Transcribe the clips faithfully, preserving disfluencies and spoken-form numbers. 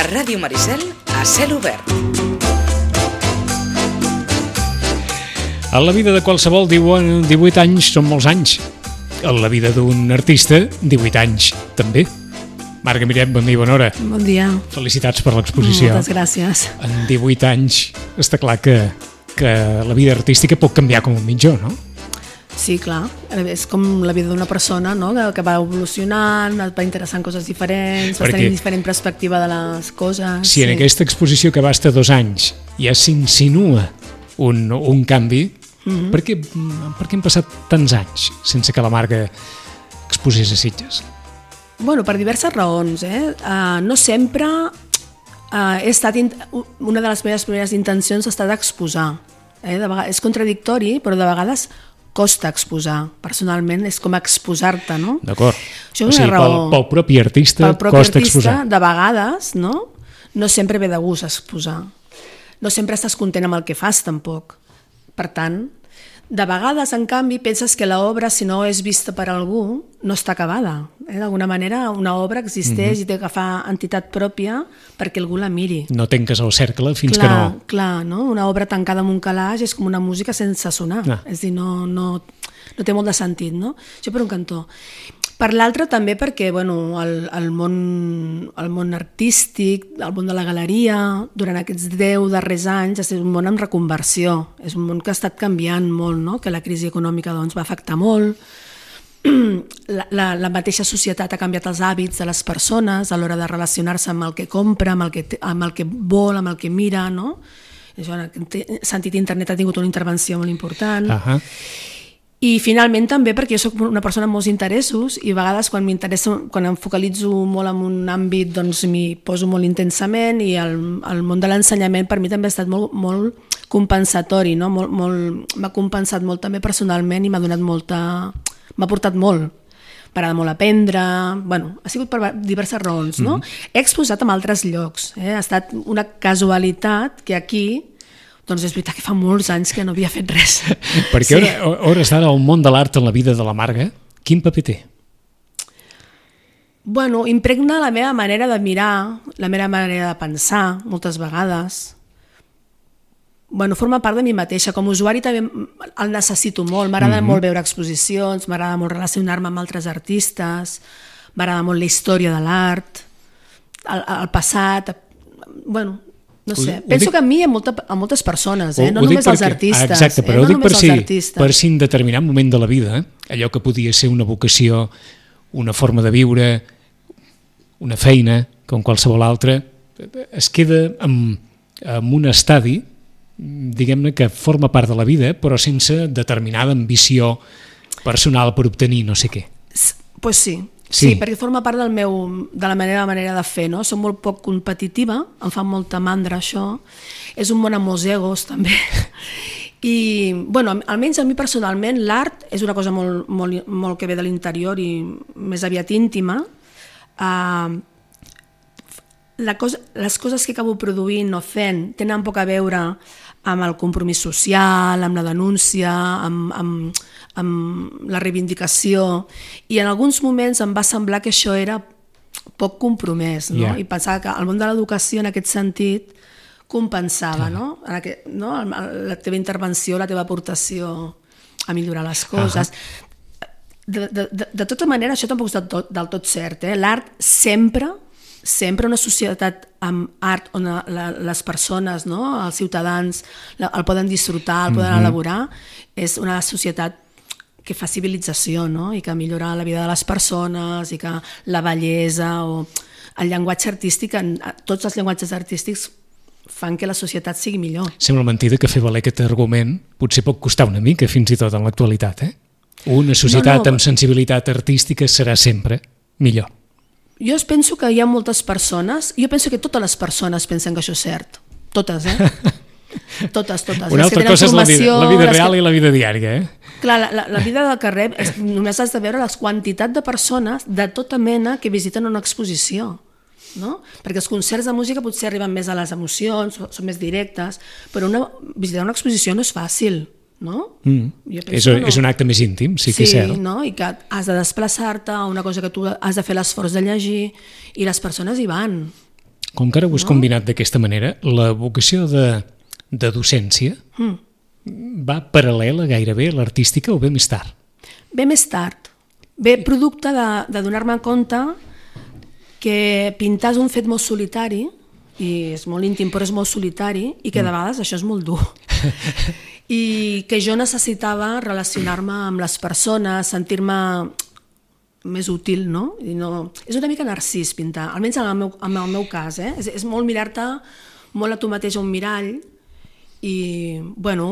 Ràdio Maricel, a cel obert. A la vida de qualsevol diuen divuit anys són molts anys. A la vida d'un artista, divuit anys també. Marga Miret, bon dia i bona hora. Bon dia. Felicitats per l'exposició. Moltes gràcies. En divuit anys està clar que, que la vida artística pot canviar com un mitjó, no? Sí, clar. És com la vida d'una persona, no? que, que va evolucionant, va interessant coses diferents, va tenir diferent perspectiva de les coses. Si sí. En aquesta exposició que va estar dos anys ja s'insinua un, un canvi, mm-hmm. per, què, per què han passat tants anys sense que la Marga exposés a Sitges? Bueno, per diverses raons. Eh? Uh, no sempre uh, he estat... In... Una de les meves primeres intencions ha estat exposar. Eh? De vegades, és contradictori, però de vegades costa exposar. Personalment és com exposar-te, no? D'acord. Això és una o sigui, raó. Pel, pel propi artista pel propi costa artista, exposar. De vegades, no? No sempre ve de gust exposar. No sempre estàs content amb el que fas, tampoc. Per tant, de vegades, en canvi, penses que l'obra, si no és vista per algú, no està acabada. Eh? D'alguna manera, una obra existeix mm-hmm. i té que agafar entitat pròpia perquè algú la miri. No tanques el cercle fins clar, que no... Clar, no? Una obra tancada en un calaix és com una música sense sonar. Ah. És a dir, no, no, no té molt de sentit, no? Això per un cantó. Per l'altre també perquè bueno, el, el, món, el món artístic, el món de la galeria, durant aquests deu darrers anys és un món en reconversió, és un món que ha estat canviant molt, no? Que la crisi econòmica doncs, va afectar molt, la, la, la mateixa societat ha canviat els hàbits de les persones a l'hora de relacionar-se amb el que compra, amb el que, amb el que vol, amb el que mira, no? Això, en aquest sentit, internet ha tingut una intervenció molt important. Uh-huh. I finalment també perquè jo soc una persona amb molts interessos i a vegades quan m'interessa, quan em focalitzo molt en un àmbit doncs m'hi poso molt intensament i el, el món de l'ensenyament per mi també ha estat molt, molt compensatori, no? molt, molt, m'ha compensat molt també personalment i m'ha donat molta, m'ha portat molt. M'agrada molt aprendre, bueno, ha sigut per diverses raons, no? Mm-hmm. He exposat en altres llocs, eh? Ha estat una casualitat que aquí doncs és veritat que fa molts anys que no havia fet res. Perquè sí. a hores d'ara el món de l'art en la vida de la Marga, quin paper té? Bueno, impregna la meva manera de mirar, la meva manera de pensar, moltes vegades. Bueno, forma part de mi mateixa. Com a usuari també el necessito molt. M'agrada mm-hmm. molt veure exposicions, m'agrada molt relacionar-me amb altres artistes, m'agrada molt la història de l'art, el, el passat, bueno... No sé, ho, ho penso dic... que a mi hi ha molta, a moltes persones, eh? no només als artistes. Exacte, però eh? no ho dic per si, artistes. per si en determinat moment de la vida, allò que podia ser una vocació, una forma de viure, una feina, com qualsevol altra, es queda en, en un estadi, diguem-ne, que forma part de la vida, però sense determinada ambició personal per obtenir no sé què. Pues sí. Sí, sí, perquè forma part del meu, de la meva manera de fer, no? Soc molt poc competitiva, em fa molta mandra això, és un món amb molts egos també, i bueno, almenys a mi personalment l'art és una cosa molt, molt, molt que ve de l'interior i més aviat íntima. Uh, la cosa, les coses que acabo produint o fent tenen poc a veure amb el compromís social, amb la denúncia, amb, amb, amb la reivindicació, i en alguns moments em va semblar que això era poc compromès, no? Yeah. I pensava que el món de l'educació en aquest sentit compensava, yeah. no? En aquest, no? La teva intervenció, la teva aportació a millorar les coses. Uh-huh. de, de, de, de tota manera, això tampoc és del tot, del tot cert. Eh? L'art sempre... sempre una societat amb art on la, les persones, no? Els ciutadans la, el poden disfrutar, el poden mm-hmm. elaborar, és una societat que fa civilització, no? I que millora la vida de les persones i que la bellesa o el llenguatge artístic, tots els llenguatges artístics fan que la societat sigui millor. Sembla mentida que fer valer aquest argument potser pot costar una mica fins i tot en l'actualitat, eh? Una societat no, no, amb sensibilitat artística serà sempre millor. Jo penso que hi ha moltes persones, jo penso que totes les persones pensen que això és cert. Totes, eh? Totes, totes. Una altra cosa és la vida, la vida real que... i la vida diària, eh? Clar, la, la, la vida del carrer, és, només has de veure les quantitat de persones de tota mena que visiten una exposició, no? Perquè els concerts de música potser arriben més a les emocions, són més directes, però una, visitar una exposició no és fàcil. No? Mm. És, no. és un acte més íntim, sí, sí que és cert. No? I que has de desplaçar-te a una cosa que tu has de fer l'esforç de llegir i les persones hi van. Com que ara ho has no? combinat d'aquesta manera, la vocació de, de docència mm. va paral·lela gairebé a l'artística o ve més tard? Ve més tard. Ve producte de, de donar-me compte que pintar és un fet molt solitari, i és molt íntim però és molt solitari, i que de vegades això és molt dur. I que jo necessitava relacionar-me amb les persones, sentir-me més útil, no? I no... És una mica narcís pintar, almenys en el meu, en el meu cas, eh? És, és molt mirar-te molt a tu mateix a un mirall i, bueno,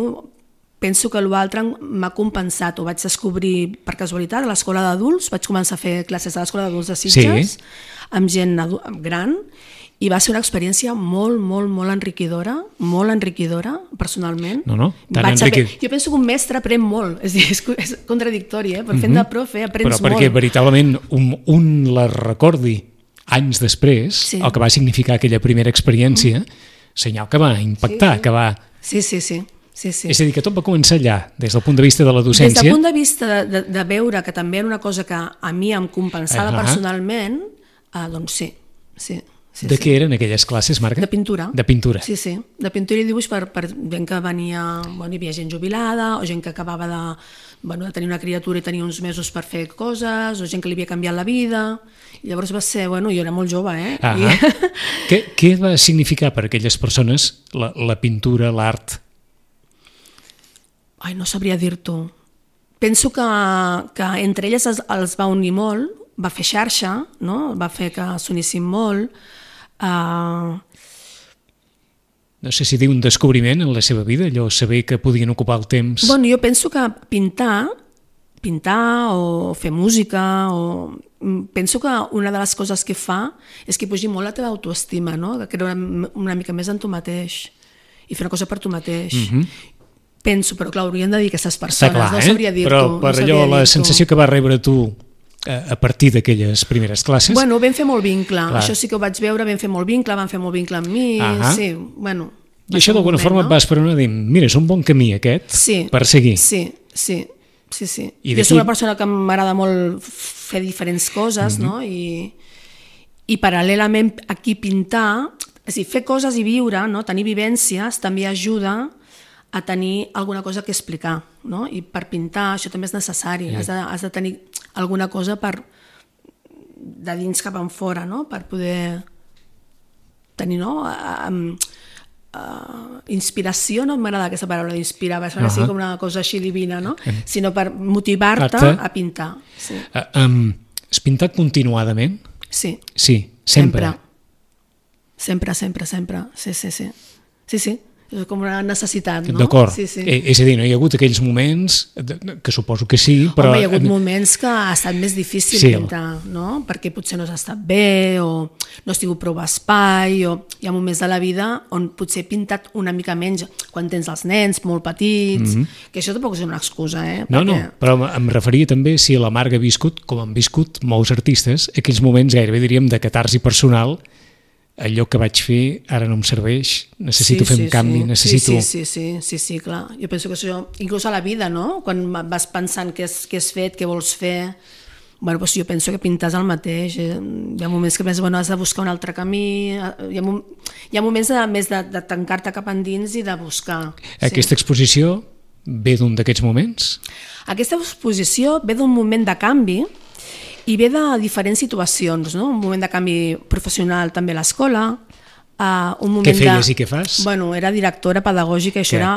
penso que l'altre m'ha compensat, ho vaig descobrir per casualitat a l'escola d'adults, vaig començar a fer classes a l'escola d'adults de Sitges, sí. amb gent gran, i va ser una experiència molt, molt, molt enriquidora, molt enriquidora, personalment. No, no, tan enriquidora. Jo penso que un mestre aprèn molt, és, dir, és, és contradictori, eh? Però fent de profe aprens molt. Però perquè veritablement un, un la recordi anys després, sí. el que va significar aquella primera experiència, mm. senyal que va impactar, sí, sí. que va... Sí, sí, sí. Sí, sí. És a dir, que tot va començar allà, des del punt de vista de la docència. Des del punt de vista de, de, de veure que també era una cosa que a mi em compensava uh-huh. personalment, eh, doncs sí, sí. Sí, de sí. què eren aquelles classes, Marga? De pintura. De pintura. Sí, sí, de pintura i dibuix per, per gent que venia, bueno, hi havia gent jubilada, o gent que acabava de, bueno, de tenir una criatura i tenia uns mesos per fer coses, o gent que li havia canviat la vida, i llavors va ser, bueno, jo era molt jove, eh? Ah I... què, què va significar per aquelles persones la, la pintura, l'art? Ai, no sabria dir-t'ho. Penso que, que entre elles els, els va unir molt, va fer xarxa, no? Va fer que s'unissin molt. Uh... No sé si diu un descobriment en la seva vida, allò saber que podien ocupar el temps... Bueno, jo penso que pintar, pintar o fer música, o... penso que una de les coses que fa és que pugi molt la teva autoestima, no? Que creure una mica més en tu mateix i fer una cosa per tu mateix. Mm-hmm. Penso, però clar, haurien de dir aquestes persones, clar, no sabria dir-t'ho. Però per no allò, la sensació que va rebre tu a partir d'aquelles primeres classes... Bueno, vam fer molt vincle, clar. Això sí que ho vaig veure, vam fer molt vincle, van fer molt vincle amb mi, uh-huh. sí, bueno... I això d'alguna forma no? et vas per una dir, mira, és un bon camí aquest sí, per seguir. Sí, sí, sí, sí. I jo soc una persona que m'agrada molt fer diferents coses, uh-huh. no? I, i paral·lelament aquí pintar, és a dir, fer coses i viure, no? Tenir vivències també ajuda a tenir alguna cosa que explicar, no? I per pintar això també és necessari, yeah. has, de, has de tenir alguna cosa per de dins cap en fora, no? Per poder tenir, no? Um, uh, inspiració, no m'agrada aquesta paraula d'inspirar, va ser uh-huh. com una cosa així divina, no? Uh-huh. Sinó per motivar-te Acte. a pintar. Sí. Uh, um, has pintat continuadament? Sí. Sí, sempre. Sempre, sempre, sempre. Sí, sí, sí. Sí, sí. És com una necessitat, no? D'acord. Sí, sí. Eh, és a dir, no hi ha hagut aquells moments, que suposo que sí, però... Home, hi ha hagut moments que ha estat més difícil sí. pintar, no? Perquè potser no has estat bé, o no has tingut prou espai, o hi ha moments de la vida on potser he pintat una mica menys, quan tens els nens molt petits, mm-hmm. que això tampoc és una excusa, eh? No, Perquè... no, però em referia també si la Marga ha viscut, com han viscut molts artistes, aquells moments gairebé diríem de catarsi personal, allò que vaig fer ara no em serveix, necessito sí, fer un sí, canvi, sí. necessito... Sí, sí, sí, sí, sí, clar. Jo penso que això, inclús a la vida, no? Quan vas pensant què has, què has fet, què vols fer, bueno, doncs jo penso que pintar és el mateix. Hi ha moments que penses, bueno, has de buscar un altre camí, hi ha, mom... hi ha moments de, més de, de tancar-te cap endins i de buscar. Aquesta sí. exposició ve d'un d'aquests moments? Aquesta exposició ve d'un moment de canvi, i ve de diferents situacions, no? Un moment de canvi professional també a l'escola, uh, un moment què feies de... i què fas? Bueno, era directora pedagògica i això era,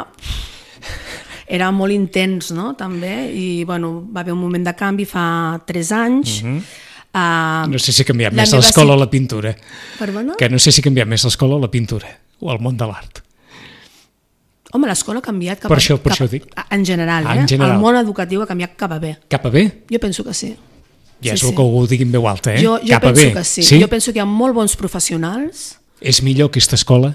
era molt intens, no? També, i bueno, va haver un moment de canvi fa tres anys. Uh-huh. uh, no sé si ha canviat més l'escola o la pintura. Perdona? Que no sé si ha canviat més l'escola o la pintura, o el món de l'art. Home, l'escola ha canviat cap per això, per cap, això dic. En general, ah, en eh? general. El món educatiu ha canviat cap a bé. Cap a bé? Jo penso que sí. Ja és sí, el que ho digui en veu alta, eh? Jo, jo Cap a penso bé. que sí. sí. Jo penso que hi ha molt bons professionals. És millor aquesta escola?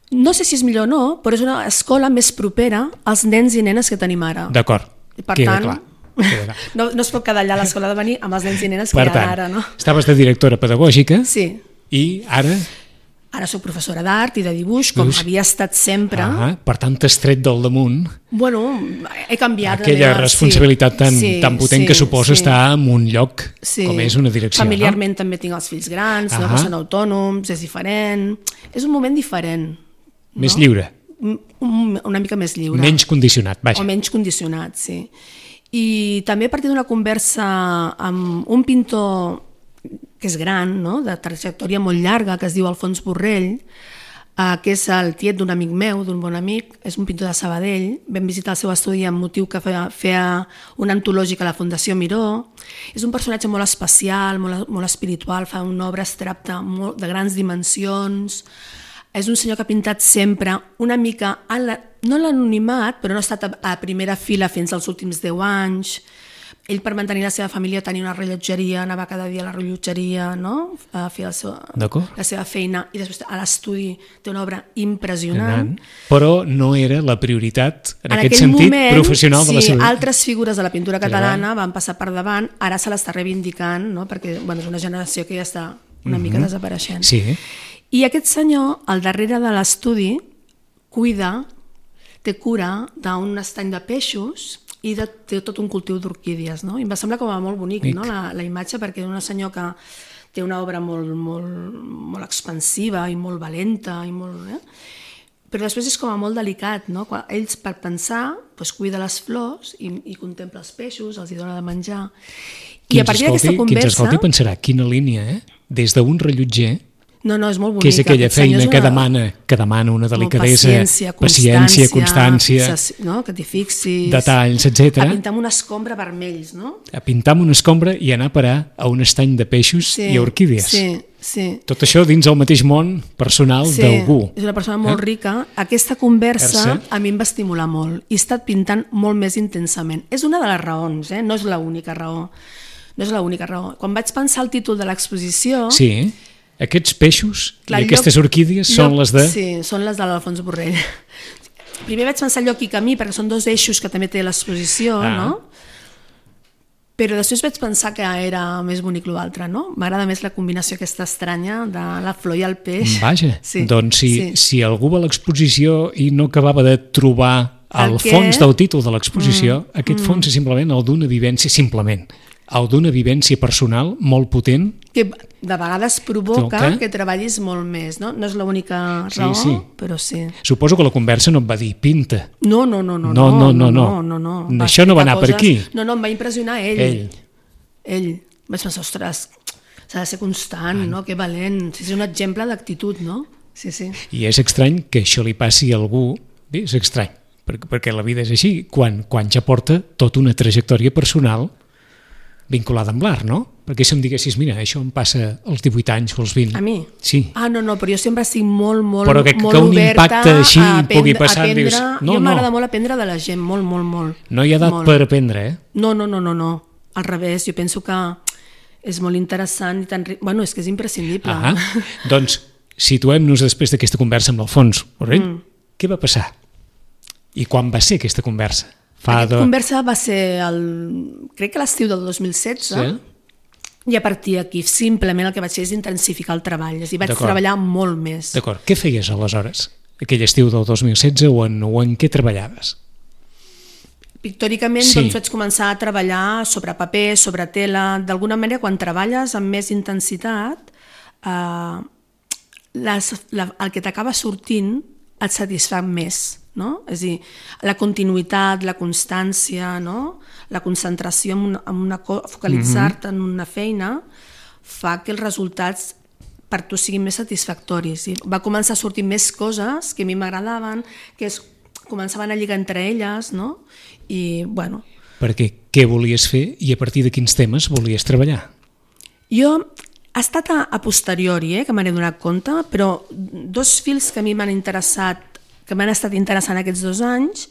No sé si és millor o no, però és una escola més propera als nens i nenes que tenim ara. D'acord, per queda tant, clar. Queda clar. no, no es pot quedar allà a l'escola de venir amb els nens i nenes que per hi ha tant, ara, no? Estaves de directora pedagògica sí. i ara... Ara soc professora d'art i de dibuix, com Dibuix. havia estat sempre. Ah, per tant, t'has tret del damunt Bueno, he canviat... aquella la meva... responsabilitat sí, tan, sí, tan potent sí, que suposa sí. estar en un lloc Sí. com és una direcció. Familiarment també tinc els fills grans, no? Ahà. Que són autònoms, és diferent. És un moment diferent. No? Més no? lliure, Un, una mica més lliure. menys condicionat, vaja. O menys condicionat, sí. I també a partir d'una conversa amb un pintor que és gran, no? De trajectòria molt llarga, que es diu Alfons Borrell, eh, que és el tiet d'un amic meu, d'un bon amic, és un pintor de Sabadell. Vam visitar el seu estudi amb motiu que feia, feia una antològica a la Fundació Miró. És un personatge molt especial, molt, molt espiritual, fa una obra abstracta molt, de grans dimensions. És un senyor que ha pintat sempre una mica, en la, no l'anonimat, però no ha estat a, a primera fila fins als últims deu anys. Ell, per mantenir la seva família, tenia una rellotgeria, anava cada dia a la rellotgeria, no? A fer el seu, la seva feina, i després a l'estudi té una obra impressionant. Però no era la prioritat, en, en aquest sentit, moment, professional de la sí, seva vida. Altres figures de la pintura catalana van passar per davant, ara se l'està reivindicant, no? Perquè bueno, és una generació que ja està una mica Mm-hmm. desapareixent. Sí. I aquest senyor, al darrere de l'estudi, cuida, té cura d'un estany de peixos i de, té tot un cultiu d'orquídies, no? I em va semblar com a molt bonic, no? la, la imatge, perquè és un senyor que té una obra molt, molt, molt expansiva i molt valenta, i molt, eh? Però després és com a molt delicat, no? Quan ells, per pensar, doncs, cuida les flors i, i contempla els peixos, els hi dona de menjar. I Qui a partir d'aquesta conversa... Qui ens escolti pensarà, quina línia, eh? Des d'un rellotger, No, no, és molt bonica. que és aquella feina una... que, demana, que demana una delicadesa, paciència, paciència, constància, no? Que t'hi fixis, detalls, etcètera. A pintar amb una escombra vermells, no? A pintar amb una escombra i anar a parar a un estany de peixos Sí, i orquídies. sí, sí. Tot això dins el mateix món personal Sí, d'algú. és una persona molt Eh? rica. Aquesta conversa Ersa. a mi em va estimular molt i he estat pintant molt més intensament. És una de les raons, eh? No és l'única raó. No és l'única raó. Quan vaig pensar el títol de l'exposició... Sí, aquests peixos Clar, i aquestes lloc, orquídies lloc, són les de... Sí, són les de l'Alfons Borrell. Primer vaig pensar lloc i camí, perquè són dos eixos que també té l'exposició, Ah. no? Però després vaig pensar que era més bonic l'altre, no? M'agrada més la combinació aquesta estranya de la flor i el peix. Vaja, Sí, doncs si, sí. si algú va a l'exposició i no acabava de trobar el, El què? fons del títol de l'exposició, Mm, aquest mm. fons és simplement el d'una vivència, simplement, el d'una vivència personal molt potent. Que de vegades provoca Toca. que treballis molt més, no? No és l'única Sí, raó, sí. però sí. Suposo que la conversa no et va dir pinta. No, no, no, no. No, no, no, no, no. no, No, això no va explicar anar per aquí. No, no, em va impressionar ell. Ell. Ell. Vaig pensar, ostres, s'ha de ser constant, no? Que valent. Sí, és un exemple d'actitud, no? Sí, sí. I és estrany que això li passi a algú, bé, és estrany, perquè, perquè la vida és així, quan, quan ja porta tota una trajectòria personal vinculada amb l'art, no? Perquè si em diguessis, mira, això em passa als divuit anys o als vint. A mi? Sí. Ah, no, no, però jo sempre estic molt, molt, Però que- que molt un oberta impacte així a aprendre, pugui passar, a aprendre. dius, no, jo m'agrada no. molt aprendre de la gent, molt, molt, molt. No hi ha edat molt. per aprendre, eh? No, no, no, no, no. Al revés, jo penso que és molt interessant i tan... ri- Bueno, és que és imprescindible. Ah, doncs situem-nos després d'aquesta conversa amb l'Alfons Borrell. Mm. Què va passar? I quan va ser aquesta conversa? Fa Aquesta de... conversa va ser, el, crec que l'estiu del dos mil setze, Sí? i a partir d'aquí simplement el que vaig fer és intensificar el treball, és a dir, vaig D'acord. treballar molt més. D'acord. Què feies aleshores? Aquell estiu del dos mil setze o en, o en què treballaves? Pictòricament Sí. doncs, vaig començar a treballar sobre paper, sobre tela. D'alguna manera, quan treballes amb més intensitat, eh, les, la, el que t'acaba sortint et satisfà més. No? És a dir, la continuïtat, la constància, no? La concentració en una, en una co- focalitzar-te en una feina fa que els resultats per tu siguin més satisfactoris. I va començar a sortir més coses que a mi m'agradaven, que es començaven a lligar entre elles, no? I, bueno... Perquè què volies fer i a partir de quins temes volies treballar? Jo ha estat a, a posteriori, eh, que me n'he donat compte, però dos fils que a mi m'han interessat, que m'han estat interessant aquests dos anys,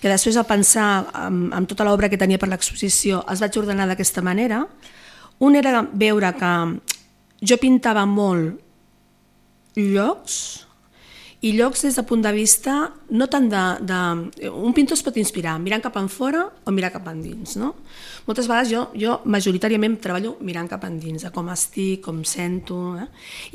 que després a pensar amb, amb tota l'obra que tenia per l'exposició els vaig ordenar d'aquesta manera. Un era veure que jo pintava molt llocs i llocs des de punt de vista no tant de, de... Un pintor es pot inspirar mirant cap enfora o mirar cap endins, no? Moltes vegades jo, jo majoritàriament treballo mirant cap endins, com estic, com sento, eh?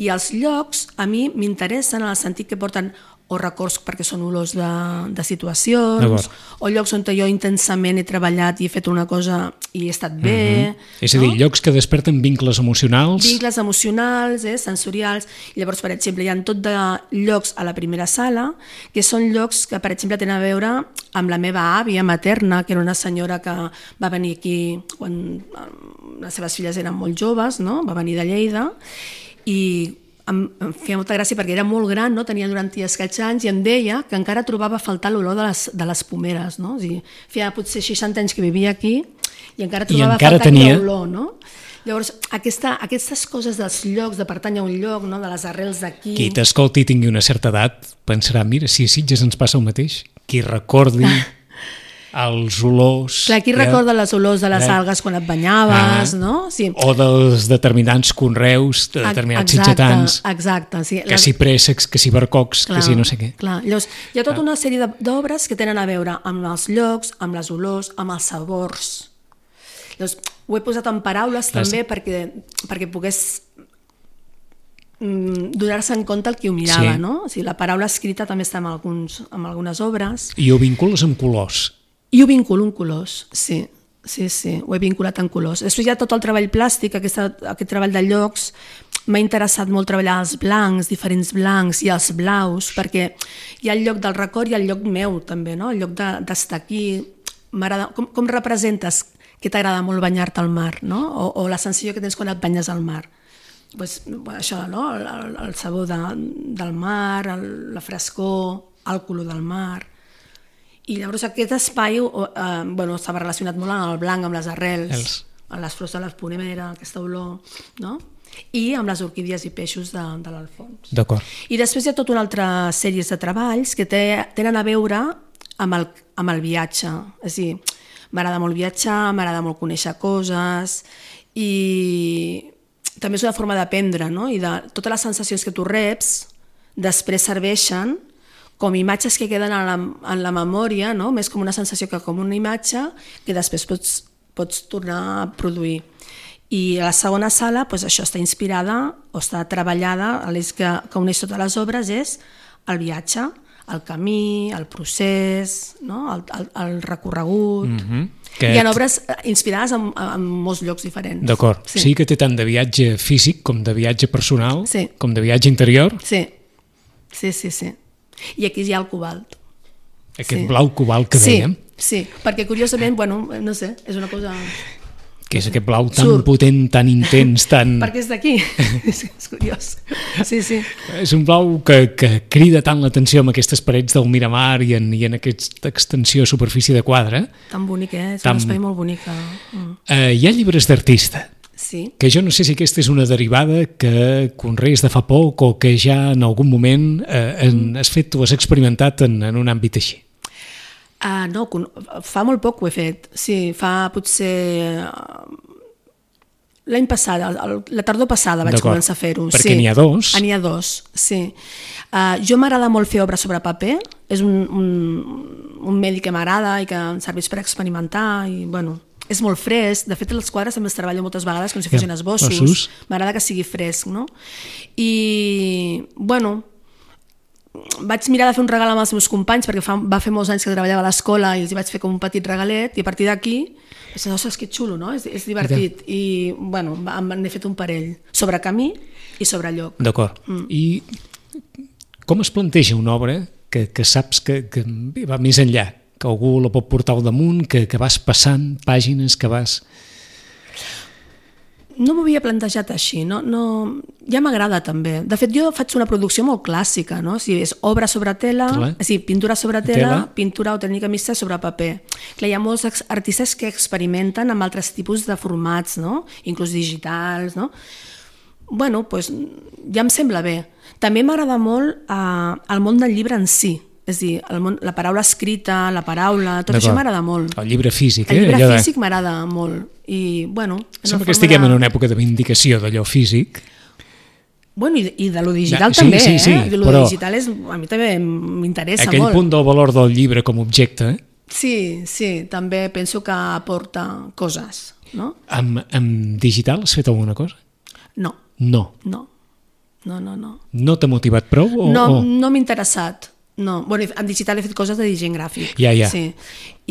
I els llocs a mi m'interessen en el sentit que porten o records perquè són olors de, de situacions, o llocs on jo intensament he treballat i he fet una cosa i he estat bé. Mm-hmm. És a dir, no? Llocs que desperten vincles emocionals. Vincles emocionals, eh, sensorials. I llavors, per exemple, hi ha tot de llocs a la primera sala que són llocs que, per exemple, tenen a veure amb la meva àvia materna, que era una senyora que va venir aquí quan les seves filles eren molt joves, no? Va venir de Lleida, i em feia molta gràcia perquè era molt gran, no? Tenia noranta i escaig anys, i em deia que encara trobava a faltar l'olor de les, de les pomeres, no? O sigui, feia potser seixanta anys que vivia aquí i encara trobava I encara a faltar tenia... aquella olor, no? Llavors, aquesta, aquestes coses dels llocs, de pertany a un lloc, no? De les arrels d'aquí... Qui t'escolti i tingui una certa edat pensarà, mira, si a Sitges ens passa el mateix, qui recordi els olors... Clar, qui eh? recorda les olors de les eh? algues quan et banyaves, ah, no? Sí. O dels determinants conreus, de determinats sitgetans, exacte, sí. que si préssecs, que si barcocs, clar, que si no sé què. Clar. Llavors, hi ha tota una sèrie d'obres que tenen a veure amb els llocs, amb les olors, amb els sabors. Llavors, ho he posat en paraules clar, també perquè, perquè pogués mm, donar-se en compte el qui ho mirava, sí. No? O sigui, la paraula escrita també està en, alguns, en algunes obres. I ho vincules amb colors. I ho vinculo en colors, sí, sí, sí, ho he vinculat en colors. Després hi ha tot el treball plàstic, aquesta, aquest treball de llocs, m'ha interessat molt treballar els blancs, diferents blancs i els blaus, perquè hi ha el lloc del record i el lloc meu també, no? El lloc d'estar aquí, com, com representes que t'agrada molt banyar-te al mar, no? O, o la sensació que tens quan et banyes al mar. Pues, bueno, això, no? El, el, el sabor de, del mar, el, la frescor, el color del mar... I llavors aquest espai eh, bueno, estava relacionat molt amb el blanc, amb les arrels, Els. amb les flors de la ponemera, aquesta olor, no? I amb les orquídies i peixos de, de l'Alfons. D'acord. I després hi ha tota una altra sèrie de treballs que té, tenen a veure amb el, amb el viatge. És a dir, m'agrada molt viatjar, m'agrada molt conèixer coses i també és una forma d'aprendre, no? I de totes les sensacions que tu reps després serveixen com imatges que queden en la, en la memòria, no? Més com una sensació que com una imatge que després pots, pots tornar a produir. I a la segona sala, doncs això està inspirada o està treballada, l'eix que, que uneix totes les obres és el viatge, el camí, el procés, no? el, el, el recorregut... Mm-hmm. Que... Hi ha obres inspirades en, en molts llocs diferents. D'acord. Sí. Sí que té tant de viatge físic com de viatge personal, sí. Com de viatge interior. Sí, sí, sí, sí. I aquí hi ha el cobalt. Aquest sí. blau cobalt que sí, dèiem. Sí, perquè curiosament, bueno, no sé, és una cosa... Que és aquest blau tan Surt. potent, tan intens, tan... Perquè és d'aquí, és, és curiós. Sí, sí. És un blau que, que crida tant l'atenció amb aquestes parets del Miramar i en, i en aquesta extensió de superfície de quadre. Tan bonic, eh? És tan... un espai molt bonic. Mm. Uh, hi ha llibres d'artista. Sí. Que jo no sé si aquesta és una derivada que conrees de fa poc o que ja en algun moment eh, en, has fet o has experimentat en, en un àmbit així. Uh, no, fa molt poc ho he fet. Sí, fa potser... L'any passat, la tardor passada vaig començar a fer-ho. Perquè sí. n'hi ha dos. N'hi ha dos, sí. Uh, jo m'agrada molt fer obra sobre paper, és un, un, un medi que m'agrada i que em serveix per experimentar i, bueno... És molt fresc, de fet els quadres també els treballo moltes vegades com si fossin esbossos, m'agrada que sigui fresc, no? I, bueno, vaig mirar de fer un regal amb els meus companys perquè fa, va fer molts anys que treballava a l'escola i els hi vaig fer com un petit regalet i a partir d'aquí vaig dir, ostres, que xulo, no? És, és divertit. I, bueno, n'he fet un parell sobre camí i sobre lloc. D'acord. Mm. I com es planteja una obra que, que saps que, que va més enllà? Que algú la pot portar al damunt, que, que vas passant pàgines, que vas... No m'ho havia plantejat així, no, no... ja m'agrada també. De fet, jo faig una producció molt clàssica, no? O sigui, és obra sobre tela, Tela. o sigui, pintura sobre tela, tela, pintura o tècnica mixta sobre paper. Clar, hi ha molts artistes que experimenten amb altres tipus de formats, no? Inclús digitals, no? Bueno, doncs ja em sembla bé. També m'agrada molt eh, el món del llibre en si. És a dir, el món, la paraula escrita, la paraula, tot això m'agrada molt. El llibre físic, eh? El llibre físic de... m'agrada molt. I, bueno... Sembla que estiguem de... en una època de vindicació d'allò físic. Bueno, i, i de lo digital sí, també, sí, sí, eh? De lo però digital és, a mi també m'interessa aquell molt. punt del valor del llibre com a objecte, eh? Sí, sí, també penso que aporta coses, no? Amb, amb digital has fet alguna cosa? No, No. no, no, no. No, No t'ha motivat prou? O, no, o... no m'ha interessat. No, bueno, en digital he fet coses de disseny gràfic. Ja, ja. Sí.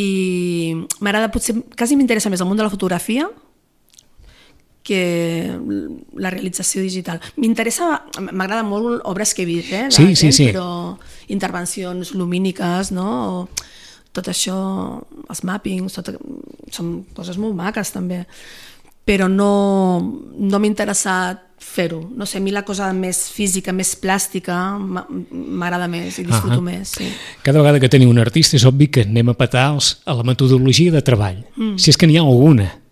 I m'agrada, potser, quasi m'interessa més el món de la fotografia que la realització digital. M'interessa, m'agrada molt obres que he vist, eh, sí, sí, gent, sí. però intervencions lumíniques, no? O tot això, els mappings, tot, són coses molt maques també, però no, no m'ha interessat fer-ho. No sé, a mi la cosa més física, més plàstica, m'agrada més i disfruto uh -huh. més. Sí. Cada vegada que tenim un artista és obvi que anem a petar els, a la metodologia de treball, mm. si és que n'hi ha alguna.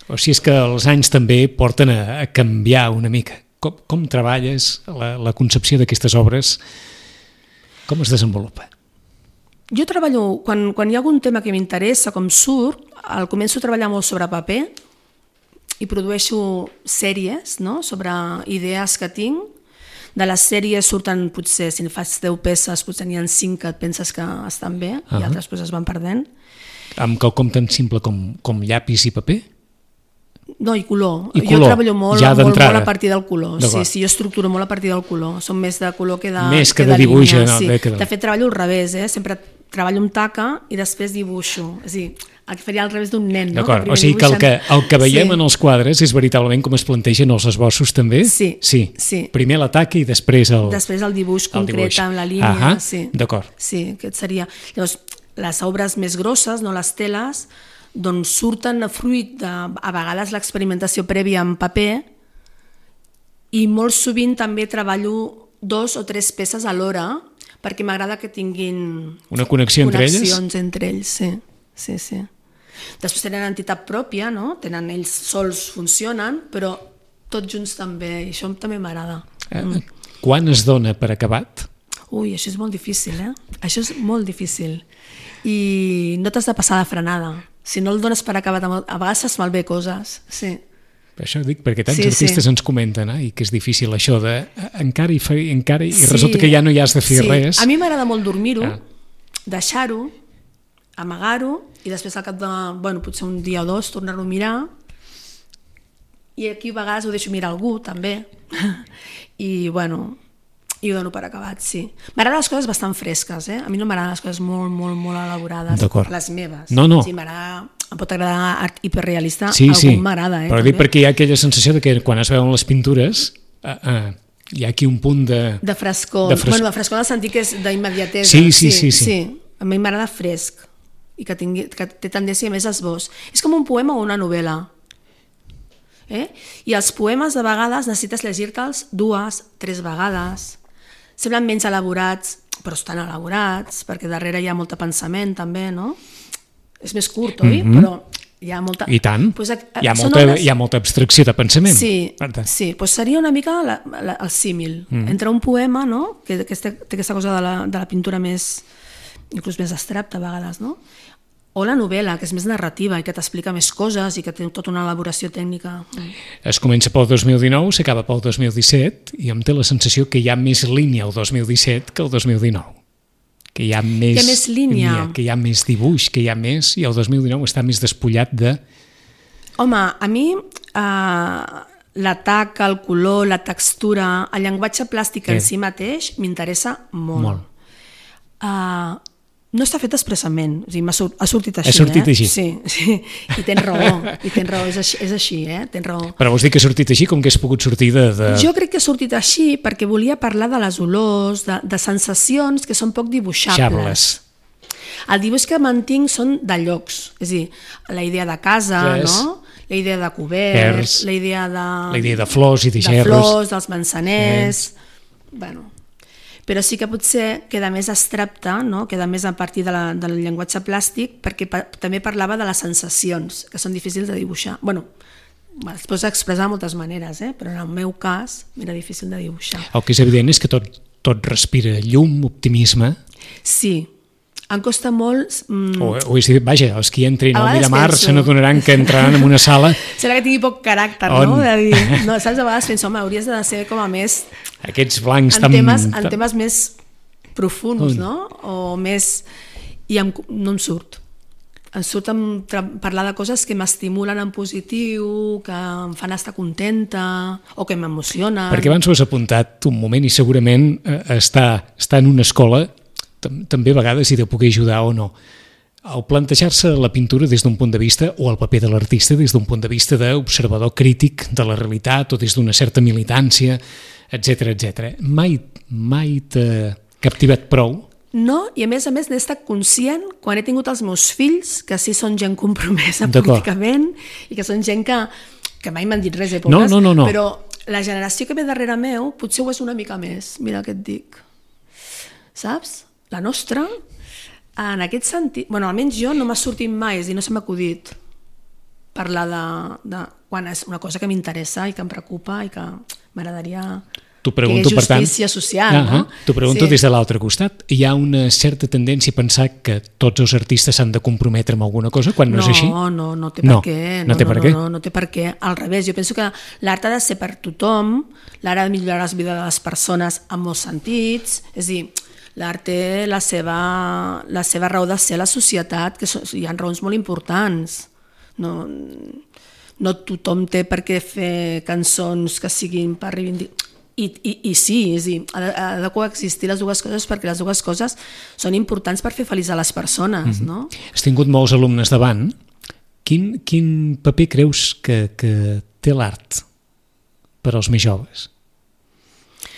O si és que els anys també porten a, a canviar una mica. Com, com treballes la, la concepció d'aquestes obres? Com es desenvolupa? Jo treballo, quan, quan hi ha algun tema que m'interessa, com surt, el començo a treballar molt sobre paper i produeixo sèries, no?, sobre idees que tinc. De les sèries surten, potser, si fas deu peces, potser n'hi ha cinc que et penses que estan bé uh -huh. i altres pues, es van perdent. Amb quelcom tan simple com, com llapis i paper? No, i color. I jo color, treballo molt, ja molt, molt a partir del color. Sí, sí, jo estructuro molt a partir del color. Som més de color que de Més que, que de, de dibuix. línia, No, sí. de, que de... de fet, treballo al revés, eh? Sempre treballo amb taca i després dibuixo. És a dir, el que faria al revés d'un nen, no? D'acord, o sigui que el que, el que veiem sí. en els quadres és veritablement com es plantegen els esbossos també? Sí. sí. sí. Primer l'atac i després el... Després el dibuix el concret dibuix. amb la línia. Ahà, sí. d'acord. Sí, aquest seria... Llavors, les obres més grosses, no les teles, doncs surten a fruit de, a vegades, l'experimentació prèvia en paper i molt sovint també treballo dos o tres peces alhora perquè m'agrada que tinguin una connexió entre elles? Connexions entre ells, sí. sí, sí. Després tenen entitat pròpia, no? Tenen ells sols funcionen, però tots junts també, i això també m'agrada. Eh, mm. Quan es dona per acabat? Ui, això és molt difícil, eh? Això és molt difícil. I no t'has de passar de frenada. Si no el dones per acabat, a vegades fas malbé coses, sí. Per això dic, perquè tants sí, artistes sí. ens comenten eh, que és difícil això de encara i, fa, encara, i sí. resulta que ja no hi has de fer sí. res. A mi m'agrada molt dormir-ho, ah. deixar-ho, amagar-ho i després al cap de, bueno, potser un dia o dos tornar-ho a mirar i aquí a vegades ho deixo mirar algú també i bueno i ho dono per acabat, sí. M'agraden les coses bastant fresques, eh? A mi no m'agraden les coses molt, molt, molt elaborades, les meves. No, no. Sí, m'agrada, em pot agradar art hiperrealista, sí, algun sí. m'agrada, eh? Però dic perquè hi ha aquella sensació de que quan es veuen les pintures eh, eh, hi ha aquí un punt de... De frescor. De fres... Bueno, de frescor en el sentit que és d'immediatesa. Sí, sí, sí, sí. sí. A mi m'agrada fresc i que, tingui, que té tendència a més esbós. És com un poema o una novel·la. Eh? I els poemes de vegades necessites llegir-te'ls dues, tres vegades. Semblen menys elaborats, però estan elaborats, perquè darrere hi ha molt de pensament també, no? És més curt, oi? Mm-hmm. Però hi ha molta... I tant, pues, hi, ha molta, obres... hi ha molta abstracció de pensament. Sí, sí. Pues seria una mica la, la, el símil. Mm. Entre un poema, no? que, que té aquesta cosa de la, de la pintura més, inclús més abstracta a vegades, no? O la novel·la, que és més narrativa i que t'explica més coses i que té tota una elaboració tècnica. Es comença pel dos mil dinou, s'acaba pel dos mil disset i em té la sensació que hi ha més línia el dos mil disset que el dos mil dinou. Que hi ha més, que més línia. Que hi ha més dibuix, que hi ha més... I el dos mil dinou està més despullat de... Home, a mi eh, l'atac, el color, la textura, el llenguatge plàstic en si mateix m'interessa molt. Molt. Uh, no està fet expressament, o sigui, ha sortit així. Ha sortit eh? així. Sí, sí, i tens raó, i tens raó, és així, és així eh? Tens raó. Però vols dir que ha sortit així, com que has pogut sortir de, de... Jo crec que ha sortit així perquè volia parlar de les olors, de, de sensacions que són poc dibuixables. Xables. El dibuix que mantinc són de llocs, és a dir, la idea de casa, yes. no? La idea de coberts, la idea de... La idea de flors i de gerros. De flors, dels manzaners... Yes. Bueno... però sí que potser queda més abstracte, no? Queda més a partir de la, del llenguatge plàstic, perquè pa, també parlava de les sensacions, que són difícils de dibuixar. Bueno, es pot expressar de moltes maneres, eh? Però en el meu cas era difícil de dibuixar. El que és evident és que tot, tot respira llum, optimisme. Sí, em costa molt... Mm, o, o és dir, vaja, els que entrin a al vegades Miramar penso- se n'adonaran que entraran en una sala serà que tingui poc caràcter, On? no? De dir, no, saps? A vegades penso, home, hauries de ser com a més... aquests blancs En tan... temes, en tan- temes més profunds, On? no? O més... I em, no em surt. Em surt em, tra- parlar de coses que m'estimulen en positiu, que em fan estar contenta, o que m'emocionen. Perquè abans ho has apuntat un moment i segurament eh, estar, estar en una escola tam també a vegades hi deu poder ajudar o no. Al plantejar-se la pintura des d'un punt de vista o el paper de l'artista des d'un punt de vista d'observador crític de la realitat o des d'una certa militància, etcètera, etcètera. Mai, mai t'ha captivat prou? No, i a més a més n'he estat conscient quan he tingut els meus fills, que sí són gent compromesa D'acord. políticament i que són gent que, que mai m'han dit res, eh, No, pobres, no, no, no. però la generació que ve darrere meu potser ho és una mica més, mira què et dic. Saps? La nostra, en aquest sentit... Bueno, almenys jo no m'ha sortit mai, és a dir, no se m'ha acudit parlar de, de... quan és una cosa que m'interessa i que em preocupa i que m'agradaria... T'ho pregunto, que hi per tant... justícia social, uh -huh. no? T'ho pregunto Sí. des de l'altre costat. Hi ha una certa tendència a pensar que tots els artistes s'han de comprometre amb alguna cosa quan no, no és així? No, no, no té No, per què. no té per no, què. No, no, no té per què. Al revés, jo penso que l'art ha de ser per tothom, l'art ha de millorar la vida de les persones en molts sentits, és a dir, l'art té la seva, la seva raó de ser a la societat, que so, hi ha raons molt importants. No, no tothom té per què fer cançons que siguin per reivindicar... I, i, i sí, és a dir, ha de, ha de coexistir les dues coses perquè les dues coses són importants per fer feliç a les persones, mm-hmm. no? Has tingut molts alumnes davant. Quin, quin paper creus que, que té l'art per als més joves?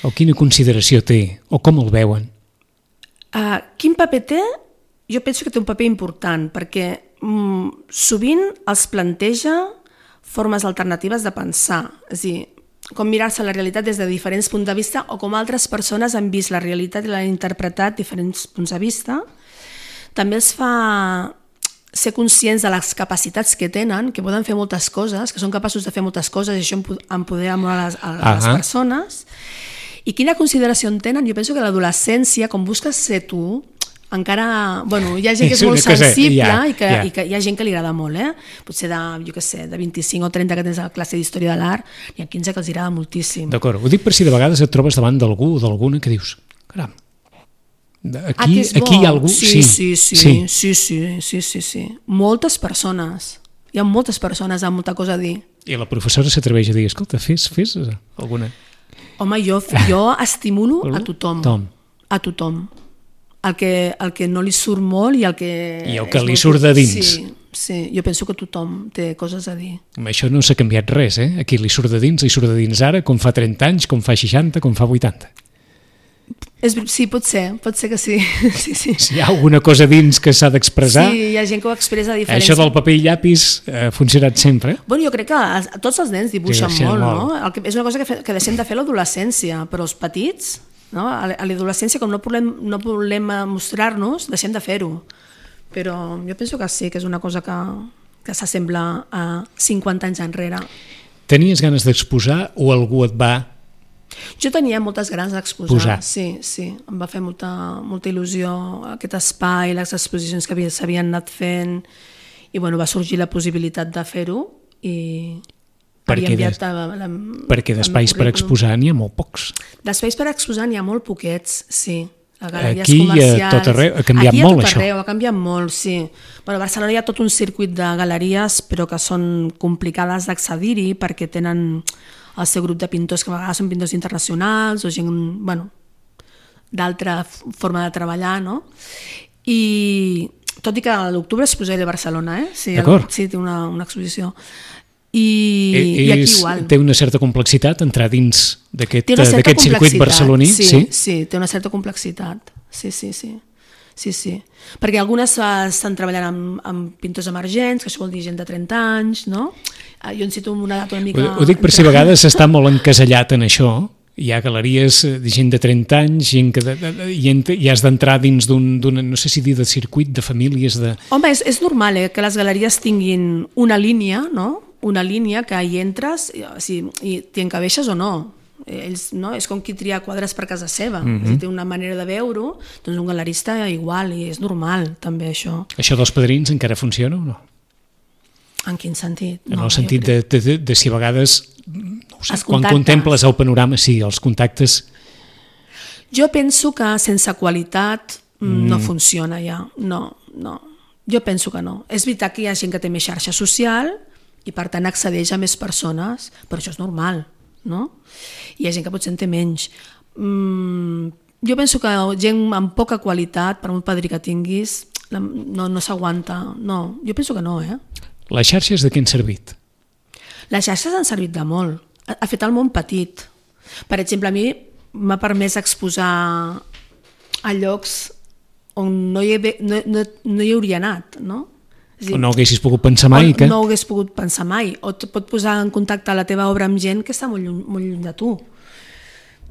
O quina consideració té? O com el veuen? Uh, quin paper té? Jo penso que té un paper important perquè mm, sovint els planteja formes alternatives de pensar, és a dir, com mirar-se la realitat des de diferents punts de vista o com altres persones han vist la realitat i l'han interpretat diferents punts de vista. També els fa ser conscients de les capacitats que tenen, que poden fer moltes coses, que són capaços de fer moltes coses i això empodera molt a les, a les persones. I quina consideració en tenen? Jo penso que l'adolescència, com busques ser tu, encara... Bueno, hi ha gent que és, és molt sensible ja, i, que, ja. i que hi ha gent que li agrada molt, eh? Potser de, jo què sé, de vint-i-cinc o trenta que tens a la classe d'Història de l'Art, n'hi ha quinze que els agrada moltíssim. D'acord, ho dic per si de vegades et trobes davant d'algú o d'alguna que dius, caram, aquí, ah, aquí hi ha algú... Sí, sí, sí, sí, sí, sí, sí, sí, sí. Moltes persones, hi ha moltes persones amb molta cosa a dir. I la professora s'atreveix a dir, escolta, fes, fes alguna... Home, jo, jo estimulo a tothom, Tom. a tothom. El que, el que no li surt molt i el que... I el que li surt de dins. Sí, sí, jo penso que tothom té coses a dir. Això no s'ha canviat res, eh? Aquí li surt de dins, li surt de dins ara, com fa trenta anys, com fa seixanta, com fa vuitanta. És, sí, pot ser, pot ser que sí. sí, sí. Si hi ha alguna cosa dins que s'ha d'expressar... Sí, hi ha gent que ho expressa diferent. Això del paper i llapis ha funcionat sempre. Bueno, jo crec que els, tots els nens dibuixen sí, molt, molt, no? El que, és una cosa que, fe, que deixem de fer a l'adolescència, però els petits, no? A l'adolescència, com no volem, no volem mostrar-nos, deixem de fer-ho. Però jo penso que sí, que és una cosa que, que s'assembla a cinquanta anys enrere. Tenies ganes d'exposar o algú et va... Jo tenia moltes ganes d'exposar, sí, sí. Em va fer molta, molta il·lusió aquest espai, les exposicions que s'havien anat fent, i bueno, va sorgir la possibilitat de fer-ho i... Perquè, des, la, la, perquè d'espais per exposar n'hi ha molt pocs. D'espais per exposar n'hi ha molt poquets, sí. Aquí a tot arreu ha canviat Aquí molt, a tot això. Arreu, ha canviat molt, sí. Bueno, a Barcelona hi ha tot un circuit de galeries, però que són complicades d'accedir-hi perquè tenen el seu grup de pintors que a vegades són pintors internacionals o gent, bueno, d'altra forma de treballar, no? I tot i que a l'octubre es posaré a Barcelona, eh? Sí, D'acord. Sí, té una, una exposició. I, és, i aquí igual. Té una certa complexitat entrar dins d'aquest circuit barceloní? Sí, sí, sí, té una certa complexitat. Sí, sí, sí. Sí, sí. Perquè algunes estan treballant amb, amb pintors emergents, que això vol dir gent de trenta anys, no? Jo en cito una data una mica... Ho, ho dic per si a vegades està molt encasellat en això. Hi ha galeries de gent de trenta anys gent que de, de, de, i, ent, i has d'entrar dins d'un, no sé si dir de circuit, de famílies... De... Home, és, és normal eh, que les galeries tinguin una línia, no? Una línia que hi entres i, i t'hi encabeixes o no. Ells, no? És com qui tria quadres per casa seva. Mm-hmm. Si té una manera de veure-ho, doncs un galerista igual, i és normal també això. Això dels padrins encara funciona o no? En quin sentit? En No, el jo sentit crec- de, de, de si a vegades, no ho sé, Els quan contactes. contemples el panorama, sí, els contactes... Jo penso que sense qualitat mm. no funciona ja. No, no. Jo penso que no. És veritat que hi ha gent que té més xarxa social i per tant accedeix a més persones, però això és normal, no? Hi ha gent que potser en té menys. Mm, jo penso que gent amb poca qualitat, per molt padrí que tinguis, la- no, no s'aguanta. No, jo penso que no, eh? Les xarxes de què han servit? Les xarxes han servit de molt. Ha, ha fet el món petit. Per exemple, a mi m'ha permès exposar a llocs on no hi, he, no, no, no hi hauria anat, no? És a dir, O no haguessis pogut pensar mai on que... no ho hagués pogut pensar mai, o et pot posar en contacte la teva obra amb gent que està molt lluny, molt lluny de tu.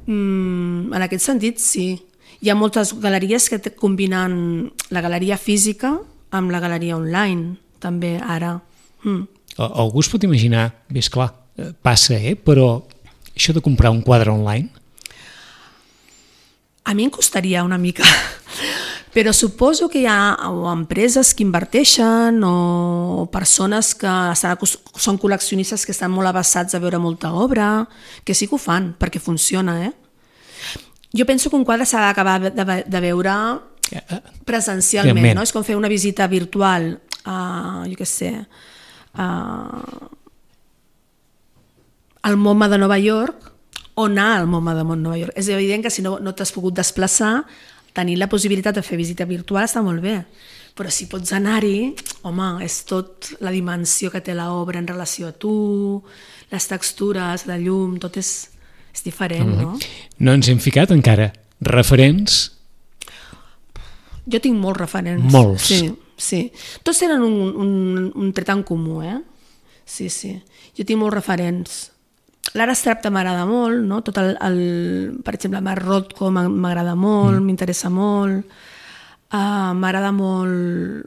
Mm, en aquest sentit, sí. Hi ha moltes galeries que te- combinen la galeria física amb la galeria online, també, ara. Mm. A- Algú es pot imaginar, bé, esclar, eh, passa, eh? Però això de comprar un quadre online, A mi em costaria una mica, però suposo que hi ha o empreses que inverteixen o persones que estan acos- són col·leccionistes que estan molt avessats a veure molta obra, que sí que ho fan, perquè funciona, eh? Jo penso que un quadre s'ha d'acabar de, de, de veure eh, eh, presencialment, Realment. no? És com fer una visita virtual a, jo què sé, a, al MoMA de Nova York, o anar al MoMA de Nova York. És evident que si no, no t'has pogut desplaçar, tenir la possibilitat de fer visita virtual està molt bé, però si pots anar-hi, home, és tot la dimensió que té l'obra en relació a tu, les textures, la llum, tot és, és diferent, no? no ens hem ficat encara referents. Jo tinc molts referents. Molts. Sí, sí. Tots tenen un, un, un tret en comú, eh? Sí, sí. Jo tinc molts referents. L'Ara Strapta m'agrada molt, no? Tot el, el, per exemple, Marc Rothko m'agrada molt, mm. m'interessa molt. Uh, m'agrada molt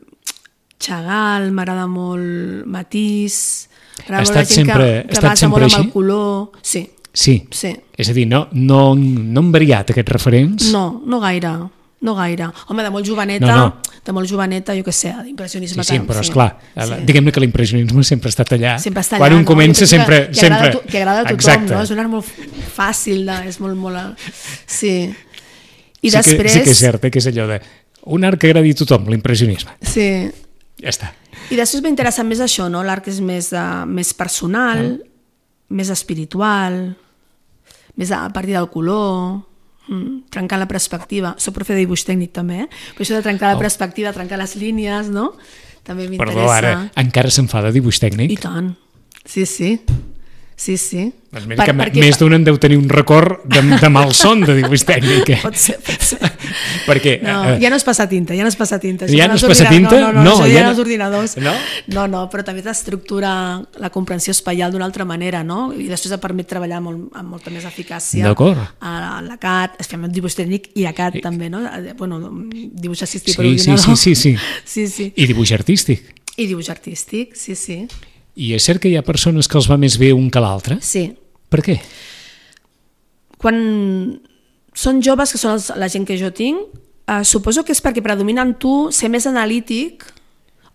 Chagall, m'agrada molt Matisse. Ha estat sempre, ha que, que estat basa sempre molt així? amb el color. Sí, Sí. sí. És a dir, no, no, no han variat aquests referents? No, no gaire. No gaire. Home, de molt joveneta, No, no. de molt joveneta, jo què sé, d'impressionisme. Sí, sí, tant, però esclar, sí. diguem-ne que l'impressionisme sempre ha estat allà. Sempre està Quan allà, un no? comença Jo penso sempre... Que, que, sempre... agrada, a to- que agrada a tothom, Exacte. no? És un art molt fàcil, de, és molt... molt... Sí. I sí després... Que, sí que és cert, eh, que és allò de... Un art que agradi a tothom, l'impressionisme. Sí. Ja està. I després m'interessa més això, no? L'art que és més, uh, més personal, més espiritual, més a partir del color, mm, trencar la perspectiva. Soc profe de dibuix tècnic també, eh? Però això de trencar la Oh. perspectiva, trencar les línies, no? També m'interessa. Perdó, ara encara se'n fa de dibuix tècnic? I tant. Sí, sí. Sí, sí. Doncs mira que perquè... més d'un en deu tenir un record de, de malson de dibuix tècnic. Eh? Pot ser, pot ser. Perquè... No, eh, ja no és passar tinta, ja no és passar tinta. Ja Això no és els passar ordinadors- tinta? No, no, no, No, això ja ja no- no els ordinadors. No? No, no, però també t'estructura la comprensió espaial d'una altra manera, no? I després et permet treballar molt, amb molta més eficàcia. D'acord. A l'A C A D, es fem dibuix tècnic i A C A D també, no? Bueno, dibuix assistit per Sí, sí, ordinador. sí, sí, sí. Sí, sí. I dibuix artístic. I dibuix artístic, sí, sí. I és cert que hi ha persones que els va més bé un que l'altre? Sí. Per què? Quan són joves, que són els, la gent que jo tinc, eh, suposo que és perquè predomina en tu ser més analític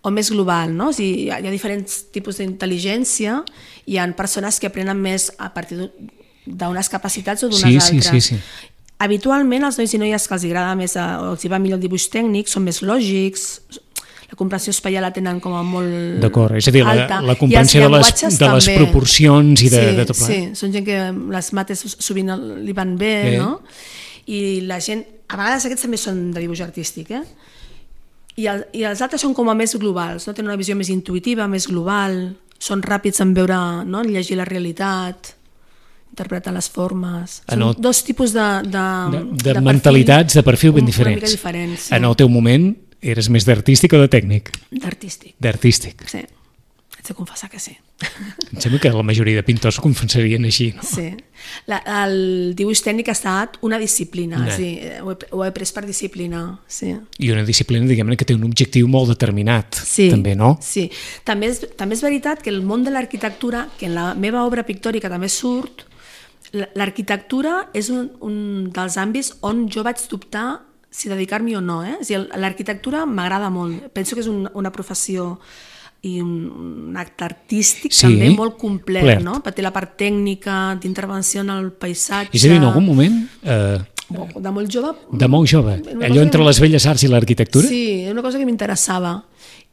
o més global, no? O sigui, hi ha, hi ha diferents tipus d'intel·ligència, hi ha persones que aprenen més a partir d'unes capacitats o d'unes Sí, sí, altres. sí, sí. Habitualment, els nois i noies que els agrada més, eh, o els hi va millor el dibuix tècnic, són més lògics, la comprensió espaial la tenen com a molt D'acord, és a dir, la, alta. la I els comprensió de les, llenguatges de les també. proporcions i de, sí, de tot Sí, plegat. són gent que les mates sovint li van bé, Bé. no? I la gent, a vegades aquests també són de dibuix artístic, eh? I, el, i els altres són com a més globals, no? Tenen una visió més intuïtiva, més global, són ràpids en veure, no? En llegir la realitat, interpretar les formes. Són En el- dos tipus de, de, De, de, perfil mentalitats, de perfil ben una diferents. mica diferents, sí. En el teu moment eres més d'artístic o de tècnic? D'artístic, D'artístic. sí. Haig de confessar que sí. Em sembla que la majoria de pintors ho confessarien així, no? Sí. La, el dibuix tècnic ha estat una disciplina, No. sí, ho, he, ho he pres per disciplina, sí. I una disciplina, diguem-ne, que té un objectiu molt determinat, Sí, també, no? Sí. També és, també és veritat que el món de l'arquitectura, que en la meva obra pictòrica també surt, l'arquitectura és un, un dels àmbits on jo vaig dubtar si dedicar-m'hi o no. Eh? És a dir, l'arquitectura m'agrada molt. Penso que és un, una professió i un, un acte artístic sí, també molt complet, plert. No? Per té la part tècnica, d'intervenció en el paisatge... És a dir, en algun moment... Eh... De molt jove... De molt jove. Allò entre les belles arts i l'arquitectura? Sí, és una cosa que m'interessava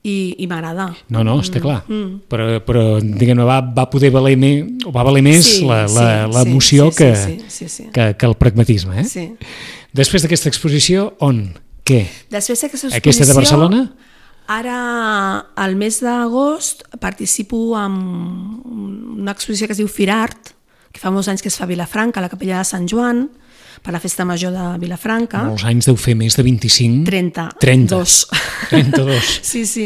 i, i m'agrada. No, no, està clar. Mm. Però, però diguem-ne, va, va poder valer més, o va valer més sí, l'emoció sí, sí, sí, sí, sí, sí. que, que el pragmatisme. Eh? Sí. Després d'aquesta exposició, on? Què? Després d'aquesta exposició... Aquesta de Barcelona? Ara, al mes d'agost, participo en una exposició que es diu Firart, que fa molts anys que es fa a Vilafranca, a la Capella de Sant Joan, per la Festa Major de Vilafranca. Molts anys deu fer més de vint-i-cinc? trenta. trenta. trenta-dos. Sí, sí.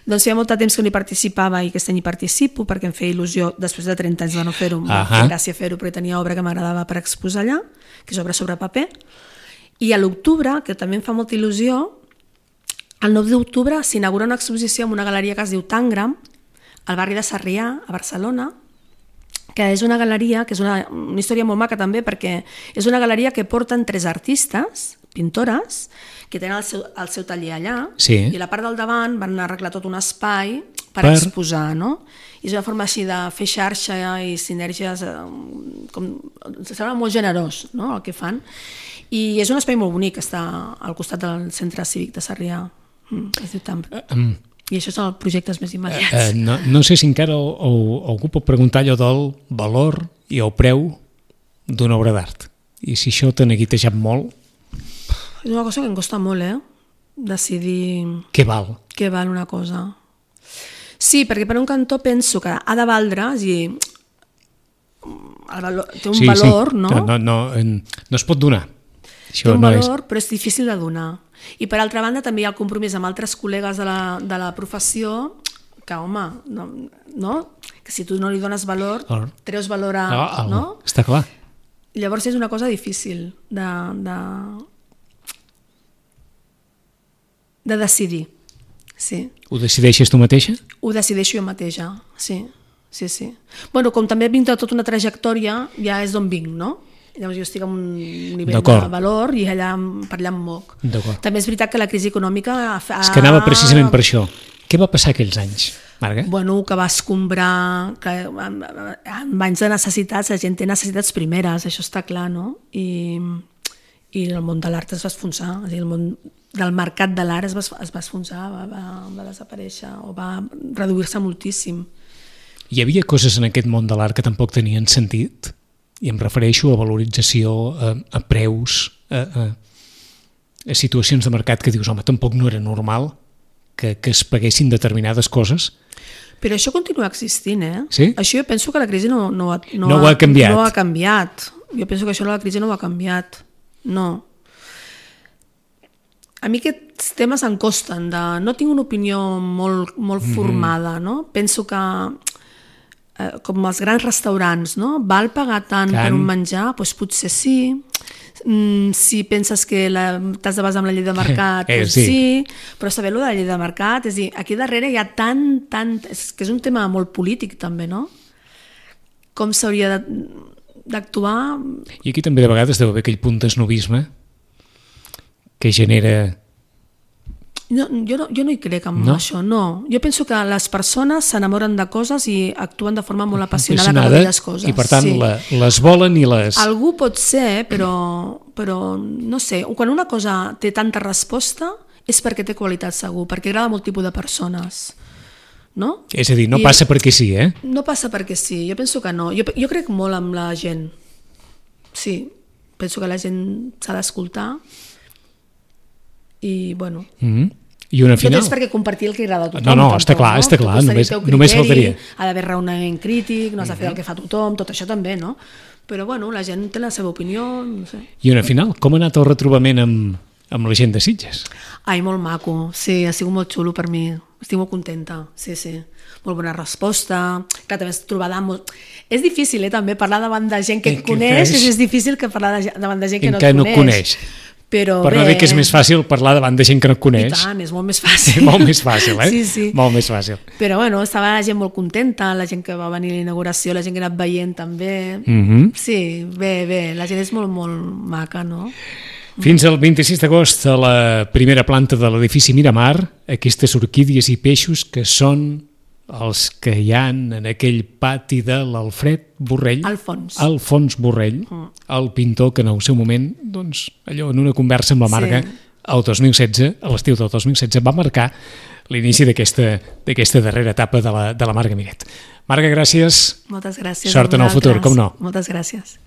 Doncs feia molt de temps que no hi participava i aquest any hi participo perquè em feia il·lusió, després de trenta anys de no fer-ho, em feia gràcia fer-ho perquè tenia obra que m'agradava per exposar allà, que és obra sobre paper. I a l'octubre, que també em fa molta il·lusió, el nou d'octubre s'inaugura una exposició en una galeria que es diu Tangram, al barri de Sarrià, a Barcelona, que és una galeria, que és una, una història molt maca també, perquè és una galeria que porten tres artistes, pintores, que tenen el seu, el seu taller allà, sí. I a la part del davant van arreglar tot un espai per, per... exposar, no? I és una forma així de fer xarxa i sinergies, com, sembla molt generós, no?, el que fan. I és un espai molt bonic, està al costat del centre cívic de Sarrià, es diu Tangram. Um... I això són els projectes més immediats. Uh, uh, no, no sé si encara o, o, algú pot preguntar allò del valor i el preu d'una obra d'art. I si això t'ha neguitejat molt... És una cosa que em costa molt, eh? Decidir... Què val? Què val una cosa. Sí, perquè per un cantó penso que ha de valdre, és a dir, el valor, té un sí, valor, sí. no? No, no, no es pot donar. Això té un no valor, és... però és difícil de donar. I per altra banda també hi ha el compromís amb altres col·legues de la, de la professió que, home, no, no? Que si tu no li dones valor, oh. treus valor a... Oh, oh, no? Està clar. I llavors és una cosa difícil de, de, de decidir. Sí. Ho decideixes tu mateixa? Ho decideixo jo mateixa, sí. sí, sí. Bueno, com també vinc de tota una trajectòria, ja és d'on vinc, no? Llavors jo estic en un nivell de valor i allà, per allà em moc. També és veritat que la crisi econòmica... Ha... És que anava precisament per això. Què va passar aquells anys, Marga? Bueno, que va escombrar... Que en anys de necessitats, la gent té necessitats primeres, això està clar, no? I, i el món de l'art es va esfonsar. És a dir, el món del mercat de l'art es va, es va esfonsar, va, va, va desaparèixer o va reduir-se moltíssim. Hi havia coses en aquest món de l'art que tampoc tenien sentit? I em refereixo a valorització, a, a preus, a, a, a situacions de mercat que dius, home, tampoc no era normal que, que es paguessin determinades coses. Però això continua existint, eh? Sí? Això jo penso que la crisi no, no, no, no ha, ho ha canviat. No ha canviat. Jo penso que això la crisi no ho ha canviat. No. A mi aquests temes em costen. De... No tinc una opinió molt, molt mm-hmm. formada, no? Penso que... com els grans restaurants, no? Val pagar tant Can. per un menjar? Doncs potser sí. Mm, si penses que la, t'has de basar en la llei de mercat, eh, doncs sí. sí, però saber-lo de la llei de mercat, és dir, aquí darrere hi ha tant, tant, és que és un tema molt polític també, no? Com s'hauria d'actuar... I aquí també de vegades deu haver aquell punt d'esnovisme que genera... No, jo, no, jo no hi crec en no? això, no. Jo penso que les persones s'enamoren de coses i actuen de forma molt apassionada per aquelles coses. I per tant sí. la, les volen i les... Algú pot ser, però, però no sé, quan una cosa té tanta resposta és perquè té qualitat segur, perquè agrada a molt tipus de persones. No? És a dir, no I passa perquè sí, eh? No passa perquè sí, jo penso que no. Jo, jo crec molt en la gent. Sí, penso que la gent s'ha d'escoltar. I, bueno... Mm-hmm. I una final... Tot és perquè compartir el que agrada a tothom. No, no, està clar, no? està clar, només, criteri, només faltaria. Ha d'haver raonament crític, no has de fer el que fa tothom, tot això també, no? Però, bueno, la gent té la seva opinió, no sé. I una final, com ha anat el retrobament amb, amb la gent de Sitges? Ai, molt maco, sí, ha sigut molt xulo per mi, estic molt contenta, sí, sí. Molt bona resposta, que també és trobada molt... És difícil, eh, també, parlar davant de gent que et coneix, és, és difícil que parlar de, davant de gent que no et coneix. No coneix. Però per bé, no dir que és més fàcil parlar davant de gent que no et coneix. I tant, és molt més fàcil. Molt més fàcil, eh? Sí, sí. Molt més fàcil. Però bueno, estava la gent molt contenta, la gent que va venir a la inauguració, la gent que ha anat veient també. Mm-hmm. Sí, bé, bé, la gent és molt, molt maca, no? Fins al vint-i-sis d'agost a la primera planta de l'edifici Miramar, aquestes orquídies i peixos que són els que hi ha en aquell pati de l'Alfred Borrell. Alfons. Alfons Borrell, mm. el pintor que en el seu moment, doncs, allò en una conversa amb la Marga, sí. el dos mil setze, a l'estiu del dos mil setze, va marcar l'inici d'aquesta d'aquesta darrera etapa de la, de la Marga Miret. Marga, gràcies. Moltes gràcies. Sort en el futur, com no. Moltes gràcies.